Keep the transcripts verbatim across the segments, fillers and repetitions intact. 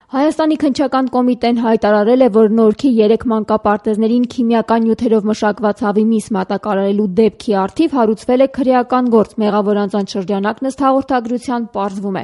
Հայաստանի քննչական կոմիտեն հայտարարել է, որ Նորքի երեք մանկապարտեզներին քիմիական նյութերով մշակված հավի միս մատակարարելու դեպքի առթիվ հարուցվել է քրեական գործ, մեղավոր անձանց շրջանակն ըստ հաղորդագրության պարզվում է։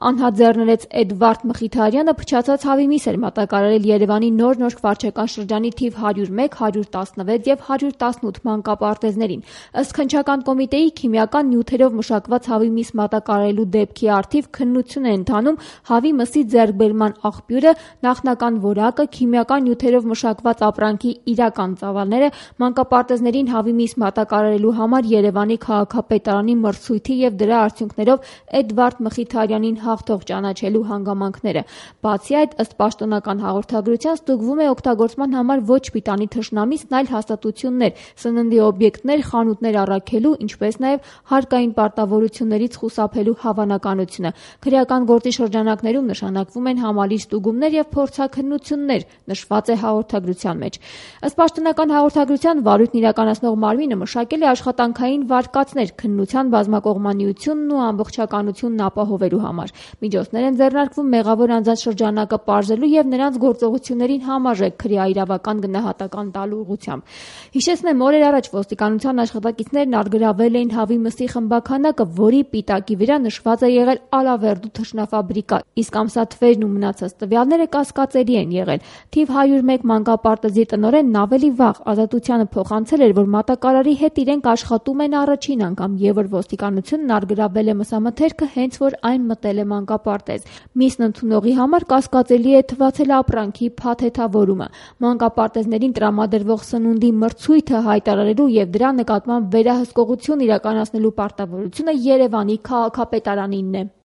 Անհատ ձեռներեց Էդվարդ Մխիթարյանը փչացած հավի միս էր մատակարարել Երևանի Նոր Նորք վարչական շրջանի թիվ հարյուր մեկ, հարյուր տասնվեց եւ հարյուր տասնութ մանկապարտեզներին։ Ըստ քննչական կոմիտեի, քիմիական նյութերով մշակված հավի միս մատակարարելու դեպքի առթիվ քննություն է ընթանում հավի մսի ձեռքբերման աղբյուրը, նախնական որակը, քիմիական նյութերով մշակված ապրանքի իրական ծավալները, մանկապարտեզներին հավի միս մատակարարելու համար Երևանի քաղաքապետարանի մրցույթի եւ դրա արդյունքներով Էդվարդ Մխիթարյանին հաղթող ճանաչելու հանգամանքները։ Բացի այդ, ըստ պաշտոնական հաղորդագրության, ստուգվում է օգտագործման համար ոչ պիտանի թշնամիցն, այլ հաստատություններ, սննդի օբյեկտներ, խանութներ առաքելու, ինչպես նաեւ հարկային պարտավորություններից խուսափելու հավանականությունը։ Քրեական գործի շրջանակներում նշանակվում են համալիր ստուգումներ եւ փորձաքննություններ, նշված է հաղորդագրության մեջ։ Ըստ պաշտոնական հաղորդագրության, վարույթն իրականացնող մարմինը մշակել է աշխատանքային վարկածներ քննության բազմակողմանիությունն ու ամբողջականությունն ապահովելու համար։ Միջոցներ են ձեռնարկվում մեղավոր անձանց շրջանակը պարզելու եւ նրանց գործողություններին համարժեք քրեաիրավական գնահատական տալու ուղղությամբ։ Հիշեցնեմ, օրեր առաջ ոստիկանության աշխատակիցներն արգրավել էին հավի մսի խմբաքանակը, որի պիտակի վրա նշված է եղել Ալավերդու թռչնաֆաբրիկա, իսկ ամսաթվերն ու մնացած տվյալները կասկածելի են եղել։ Թիվ հարյուր մեկ մանկապարտեզի տնօրենն ավելի վաղ ազատությանը փոխանցել էր, որ մատակարարի հետ իրենք աշխատում են առաջին անգամ եւ որ ոստիկանությունն արգրավել է մսամթերքը հենց որ այն մտել է մանկապարտեզ։ Միսն ընդունողի համար կասկածելի է թվացել ապրանքի փաթեթավորումը։ Մանկապարտեզներին տրամադրվող սնունդի մրցույթը հայտարարելու եւ դրա նկատմամբ վերահսկողություն իրականացնելու պարտավորությունը Երևանի քաղաքապետարանինն է։